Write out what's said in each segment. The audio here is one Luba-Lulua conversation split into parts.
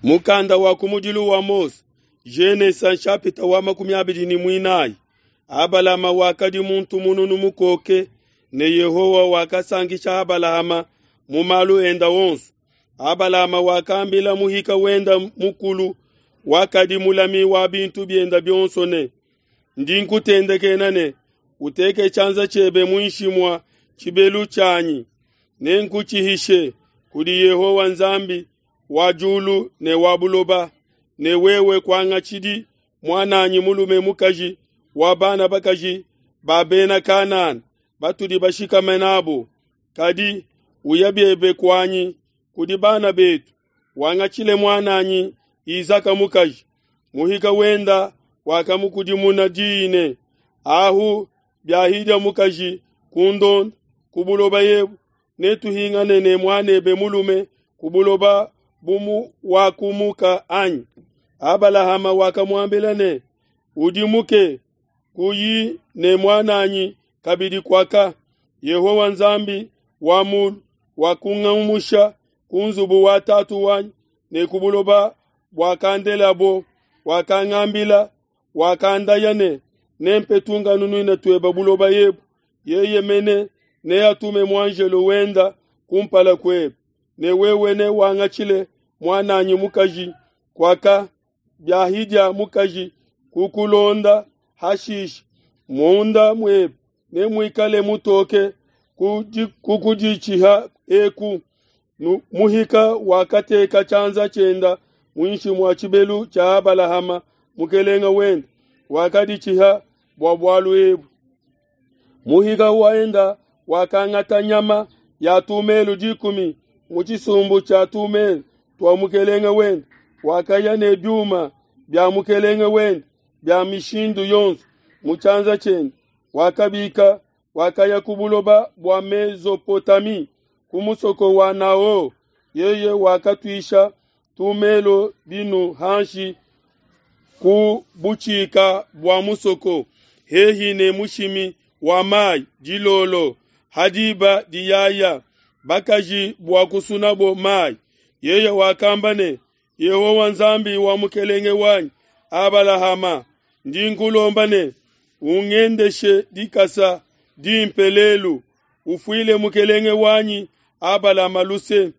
Mukanda wa kumudilu wa Mose, Genesa nshapita wa 24. Abalama wakadi muntu mununu mukoke, ne Yehowa wakasankisha Abalahama mu malu enda onso. Abalama wakambila muhika wenda mukulu wakadi mulami wa bintu bienda bionso ne, Ndi nkutendekena ne, uteke tshianza tshiebe muinshi mua tshibelu tshianyi, nenkutshihishe kudi Yehowa Nzambi wa diulu ne wa buloba, ne wewe kuangatshidi muan'anyi mulume mukaji wa bana bakaji ba Bena Kanana batudi bashikame nabo, kadi uya biebe kuanyi kudi bana betu, wangatshile muan'anyi Isaka mukaji. Muhika wenda wakamukudimuna diyi ne, Ahu biahidia mukaji kundonda ku buloba ebu, netuhingane ne muanebe mulume ku buloba bumu wakumuka anyi? Abalahama wakamuambila ne, Udimuke, kuyi ne muan'anyi kabidi kuaka. Yehowa Nzambi wa mulu wakungumusha ku nzubu wa tatu wanyi ne ku buloba buakandelabo, wakangambila, wakandaya ne, Nempe tunkanunuina tuebe buloba ebu. Yeye mene neatume muanjelo wenda kumpala kuebe, ne wewe newangatshile muan'anyi mukaji kuaka. Biahidia mukaji kukulonda hashishe, munda muebe nemuikale mutoke kukuditshiha eku. Muhika wakateka tshianza tshienda muinshi mua tshibelu tshia Abalahama mukelenge wende, wakaditshiha bua bualu ebu. Muhika wenda wakangata nyama ya tumelu 10 mu tshisumbu tshia tumelu tua mukelenge wende, wakaya ne biuma bia mukelenge wende bia mishindu yonso mu tshianza tshiende, wakabika, wakaya ku buloba bua Mezopotami, ku musoko wa Nao. Yeye wakatuisha tumelo binu hanshi ku butshika bua musoko, hehi ne mushimi wa mai dilolo, hadiba diyaya bakaji bua kusunabo mai. Yeye wakamba ne, Yehowa Nzambi wa mukelenge wanyi Abalahama, ndi nkulomba ne, ungendeshe dikasa dimpe lelu, ufuile mukelenge wanyi Abalama luse.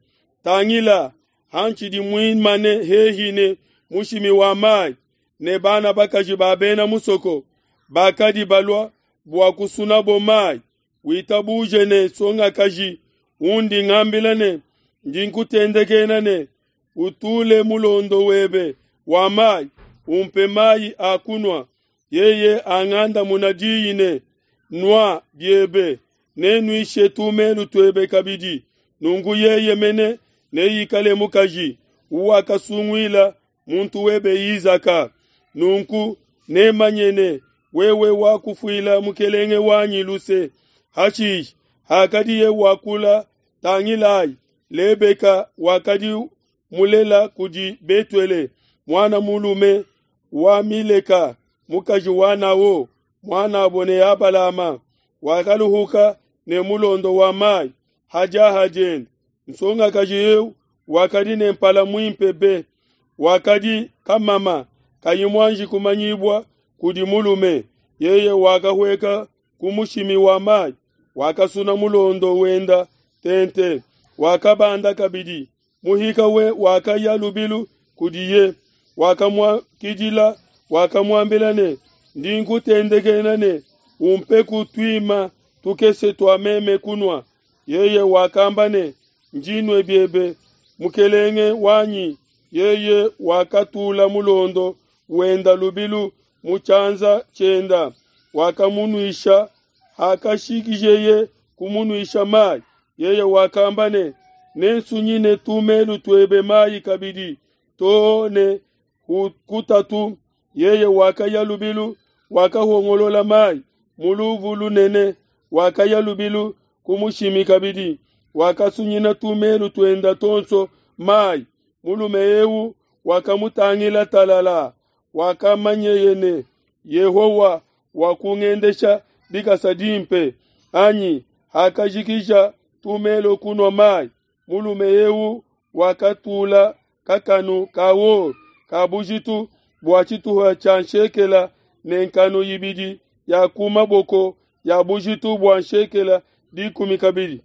Tangila, hantshidi muimane hehi ne mushimi wa mai, ne bana bakaji ba bena musoko bakadi balua bua kusunabo mai, witabuje ne nsongakaji undi ngambila ne, ndi nkutendekena ne, utule mulondo webe wa mai, umpe mai a kunua. Yeye angandamuna diyi ne, Nua biebe, nenuishe tumelu tuebe kabidi. Nunku yeye mene neikale mukaji uwakasunguila muntu webe Isaka. Nunku nemanye ne, wewe wakufuila mukelenge wanyi luse. Hashishe hakadiye wakula, tangilai, Lebeka wakadi mulela kudi Betuele, muana mulume wa Mileka, mukaji wa Nao, muanabo ne Abalama, wakaluhuka ne mulondo wa mai hadiaha diende. Nsongakaji eu wakadi ne mpala muimpe be, wakadi kamama kayi muanji kumanyibua kudi mulume. Yeye wakahueka ku mushimi wa mai, wakasuna mulondo wenda tente, wakabanda kabidi. Muhika we wakaya lubilu kudiye, wakamuakidila, wakamuambila ne, ndi nkutendekena ne, umpeku tuima tukese tua meme kunua. Yeye wakamba ne, njinue biebe, mukelenge wanyi. Yeye wakatula mulondo wenda lubilu mu tshianza tshienda, wakamunuisha. Hakashikijeye kumunuisha mai, yeye wakamba ne, nensunyine tumelu tuebe mai kabidi too ne kutatu. Yeye wakaya lubilu, wakahongolola mai mu luvu lunene, wakaya lubilu ku mushimi kabidi, wakasunyina tumelu tuenda tonso mai. Mulume eu wakamutangila talala, wakamanyeye ne, Yehowa wakungendesha dikasa dimpe. Anyi hakajikija tumelo kunua mai, mulume eu wakatula kakanu ka or ka bujitu bua tshituha tshia nshekela ne nkanu ibidi ya ku maboko ya bujitu bua nshekela dikumi kabidi.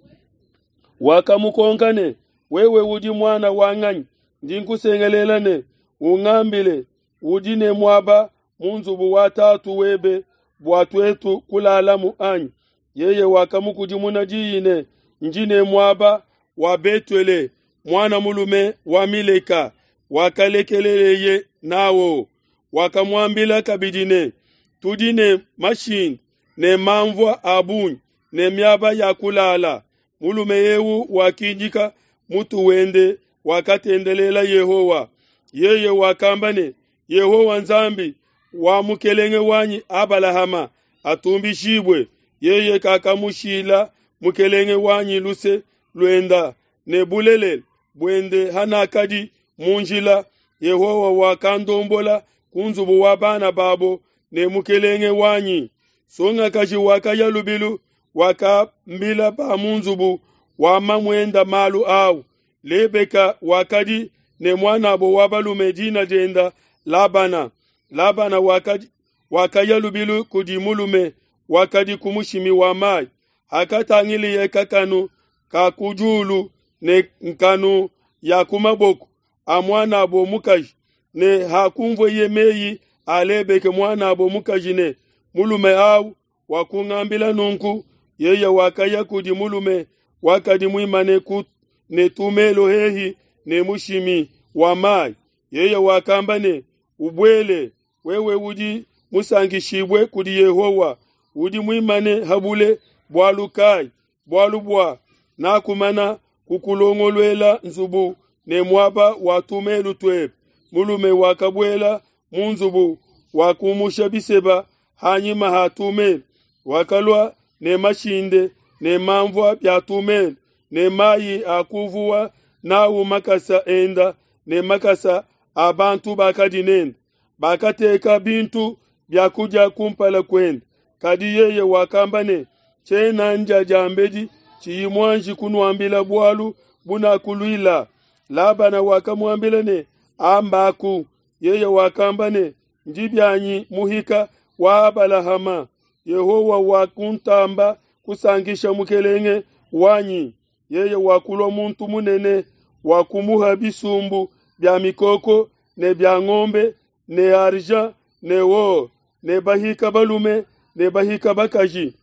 Wakamukonka ne, Wewe udi muana wa nganyi? Ndi nkusengelela ne, Ungambile, udi ne muaba mu nzubu wa tatu webe bua tuetu kulalamu anyi? Yeye wakamukudimuna diyi ne, Ndi ne muaba wa Betuele, muana mulume wa Mileka, wakalekeleleye nawo. Wakamuambila kabidi ne, Tudi ne mashinde ne manvua a bungi ne miaba ya kulala. Mulume eu wakidika mutu wende, wakatendelela Yehowa. Yeye wakamba ne, Yehowa Nzambi wa mukelenge wanyi Abalahama atumbishibue, yeye kakamushila mukelenge wanyi luse luenda ne bulelela buende hanakadi mu njila. Yehowa wakandombola ku nzubu wa bana babo ne mukelenge wanyi. Nsongakaji wakaya lubilu, wakambila ba mu nzubu wa mamuenda malu au. Lebeka wakadi ne muanabo wa balume dina dienda Labana. Labana wakadi wakaya lubilu kudi mulume wakadi ku mushimi wa mayi. Hakatangileye kakanu ka ku diulu ne nkanu ya ku maboko a muanabo mukaji, ne hakunvueye meyi a Lebeke muanabo mukaji ne, Mulume au wakungambila nunku, yeye wakaya kudi mulume wakadi muimane ku ne tumelo hehi ne mushimi wa mayi. Yeye wakamba ne, Ubuele, wewe udi musankishibue kudi Yehowa, udi muimane habule bualu kai? Bualu bua nakumana kukulongoluela nzubu ne muaba wa tumelu tuebe. Mulume wakabuela mu nzubu, wakumusha biseba hanyima ha tumelu, wakalua ne mashinde ne manvua bia tumelu ne mayi a kuvuwa nawu makasa enda ne makasa a bantu bakadi nende. Bakateka bintu bia kudia kumpala kuende, kadi yeye wakamba ne, Tshiena ndia diambedi tshiyi muanji kunuambila bualu bunakuluila. Labana wakamuambila ne, Ambaku. Yeye wakamba ne, Ndi bianyi muhika wa Abalahama. Yehowa wakuntamba kusankisha mukelenge wanyi. Yeye wakulua muntu munene, wakumuha bisumbu bia mikoko ne bia ngombe ne argent ne or ne bahika balume ne bahika bakaji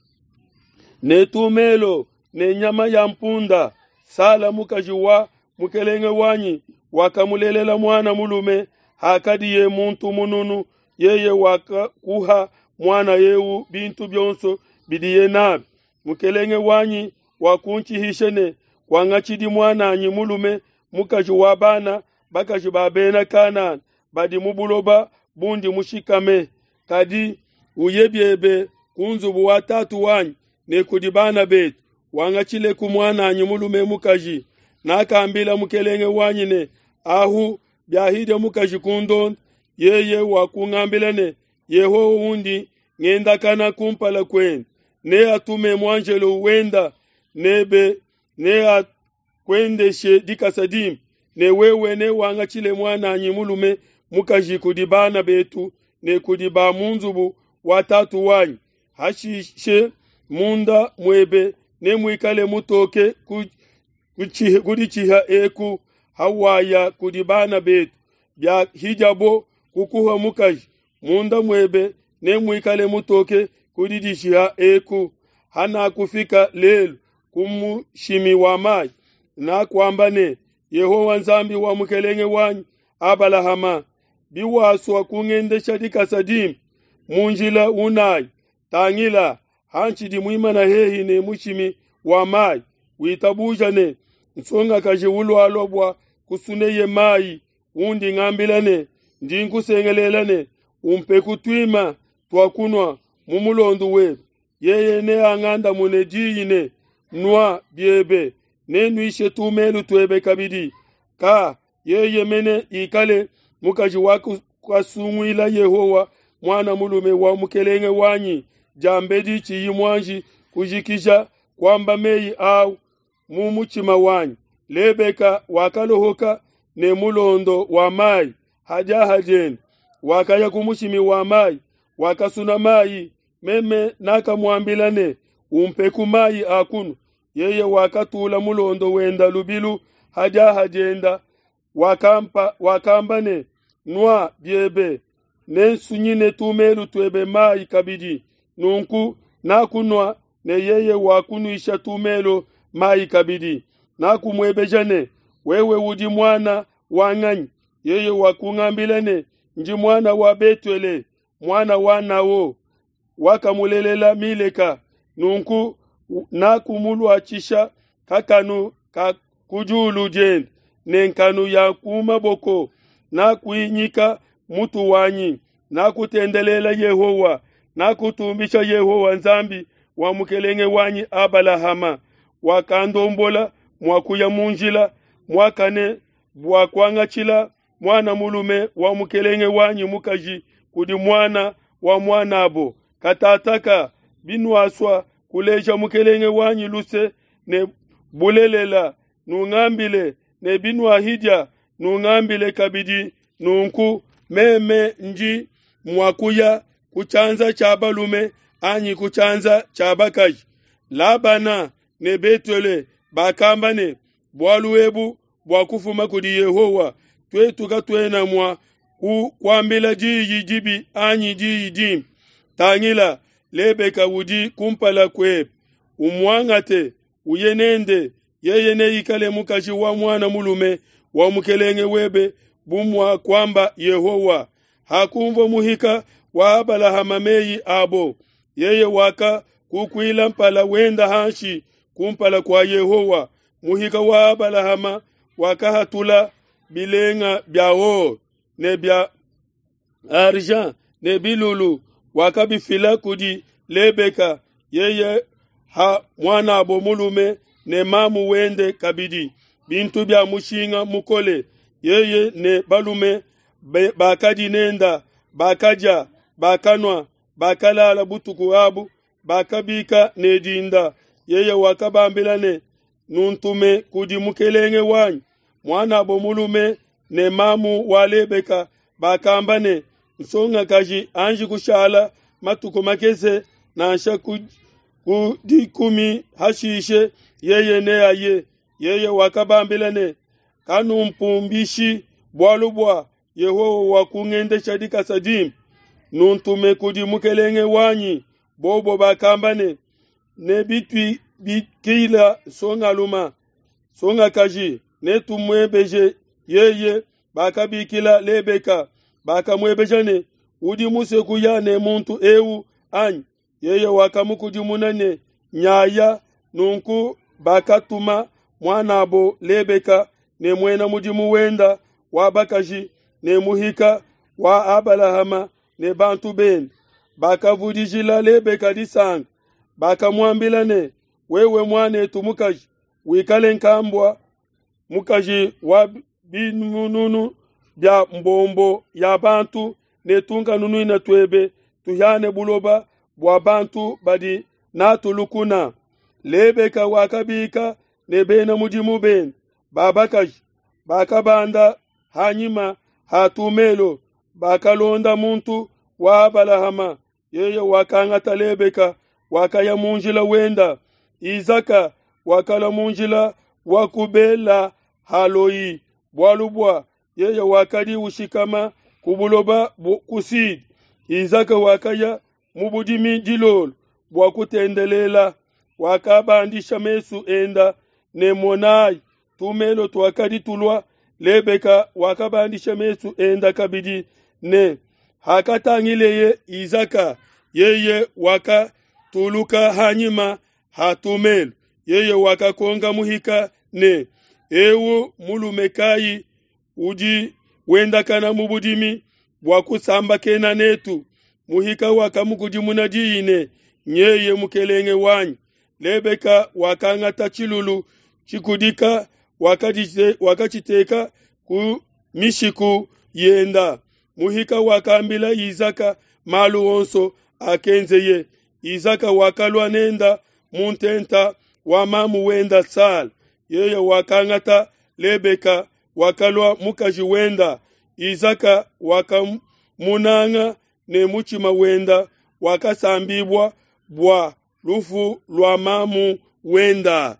ne tumelo ne nyama ya mpunda. Sala mukaji wa mukelenge wanyi wakamulelela muana mulume hakadiye muntu mununu. Yeye wakakuha muana eu bintu bionso bidiye nabi. Mukelenge wanyi wakuntshihisha ne, Kuangatshidi muan'anyi mulume mukaji wa bana bakaji ba Bena Kanana badi mu buloba bundi mushikame, kadi uye biebe ku nzubu wa tatu wanyi ne kudi bana betu, wangatshileku muan'anyi mulume mukaji. Nakambila mukelenge wanyi ne, Ahu biahidia mukaji kundonda. Yeye wakungambila ne, Yehowa undi ngendakana kumpala kuende neatume muanjelo wenda nebe, neakuendeshe dikasa dimpe, ne wewe newangatshile muan'anyi mulume mukaji kudi bana betu ne kudi ba mu nzubu wa tatu wanyi. Hashishe munda muebe nemuikale mutoke kuditshiha eku hawaya kudi bana betu, biahidiabo kukuha mukaji, munda muebe nemuikale mutoke kudidishiha eku. Hanakufika lelu ku mushimi wa mayi, nakuamba ne, Yehowa Nzambi wa mukelenge wanyi Abalahama, biwasua kungendesha dikasa dimpe mu njila unayi, tangila, hantshidi muimana hehi ne mushimi wa mayi, witabuja ne, nsongakaji ulualua bua kusuneye mayi, undi ngambila ne, Ndi nkusengelela ne, umpeku tuima tua kunua mu mulondo webe. Yeye neangandamune diyi ne, Nua biebe, nenuishe tumelu tuebe kabidi. Ka yeye mene ikale mukaji wakasunguila Yehowa muana mulume wa mukelenge wanyi, diambedi tshiyi muanji kujikija kuamba meyi au mu mutshima wanyi. Lebeka wakalohoka. ne mulondo wa mai ha diaha diende. Wakaya ku mushimi wa mai, wakasuna mai. Meme nakamuambila ne, Umpeku mai a kunua. Yeye wakatula mulondo wenda lubilu ha diaha dienda, wakamba ne, Nua biebe, nensunyine tumelu tuebe mai kabidi. Nunku nakunua, ne yeye wakunuisha tumelo mai kabidi. Nakumuebeja ne, Wewe udi muana wa nganyi? Yeye wakungambila ne, Ndi muana wa Betuele, muana wa Nao, wakamulelela Mileka. Nunku nakumuluatshisha kakanu ka ku diulu diende ne nkanu ya ku maboko. Nakuinyika mutu wanyi, nakutendelela Yehowa, nakutumbisha Yehowa Nzambi wa mukelenge wanyi Abalahama, wakandombola mua kuya mu njila muakane bua kuangatshila muana mulume wa mukelenge wanyi mukaji kudi muana wa muanabo. Katataka binuasua kuleja mukelenge wanyi luse ne bulelela, nungambile, ne binuahidia, nungambile kabidi. Nunku meme ndi mua kuya ku tshianza tshia balume anyi ku tshianza tshia bakaji. Labana ne Betuele bakamba ne, Bualu ebu buakufuma kudi Yehowa, tuetu katuena mua kukuambila diyi dibi anyi diyi dimpe. Tangila, Lebeka udi kumpala kuebe, umuangate, uye nende, yeye neikale mukaji wa muana mulume wa mukelenge webe, bu muakuamba Yehowa. Hakunvua muhika wa Abalahama meyi abo, yeye wakakukuila mpala wenda hanshi kumpala kua Yehowa. Muhika wa Abalahama wakahatula bilenga bia or ne bia argent ne bilulu, wakabifila kudi Lebeka, yeye ha muanabo mulume ne mamu wende kabidi, bintu bia mushinga mukole. Yeye ne balume bakadi nenda bakadia, bakanua, bakalala butuku abu, bakabika ne dinda. Yeye wakabambila ne, Nuntume kudi mukelenge wanyi. Muanabo mulume ne mamu wa Lebeka bakamba ne, Nsongakaji anji kushala matuku makese, nansha ku dikumi, hashishe yeye neaye. Yeye wakabambila ne, Kanumpumbishi, bualu bua Yehowa wakungendesha dikasa dimpe. Nuntume kudi mukelenge wanyi. Bobo bakamba ne, Ne bituibikila nsongaluma nsongakaji, netumuebeje yeye. Bakabikila Lebeka, bakamuebeja ne, Udi musue kuya ne muntu eu anyi? Yeye wakamukudimuna ne, Nyaya. Nunku bakatuma muanabo Lebeka ne muena mudimu wenda wa bakaji ne muhika wa Abalahama ne bantu bende. Bakavudijila Lebeka disanka, bakamuambila ne, Wewe muanetu mukaji, wikale nkambua mukaji wa binunu bia mbombo ya bantu, ne tunkanunuina tuebe tuhiane buloba bua bantu badi natu lukuna. Lebeka wakabika ne bena mudimu bende ba bakaji, bakabanda hanyima ha tumelo, bakalonda muntu wa Abalahama. Yeye wakangata Lebeka, wakaya mu njila wenda. Isaka wakalua mu njila wa ku Bela Haloi, bualu bua yeye wakadi ushikama ku buloba ku Sud. Isaka wakaya mu budimi dilolo bua kutendelela, wakabandisha mesu enda ne monayi, tumelo tuakadi tulua. Lebeka wakabandisha mesu enda kabidi ne hakatangileye Isaka, yeye wakatuluka hanyima ha tumelo. Yeye wakakonka muhika ne, Ewu mulume kayi udi wendakana mu budimi bua kusambakena netu? Muhika wakamukudimuna diyi ne, Nyeye mukelenge wanyi. Lebeka wakangata tshilulu tshikudika, wakatshiteka ku mishiku yenda. Muhika wakambila Isaka malu onso akenzeye. Isaka wakalua nenda mu ntenta wa mamu wenda Sala. Yeye wakangata Lebeka, wakalua mukaji wenda. Izaka wakamunanga ne mutshima wenda wakasambibua bua lufu lua mamu wenda.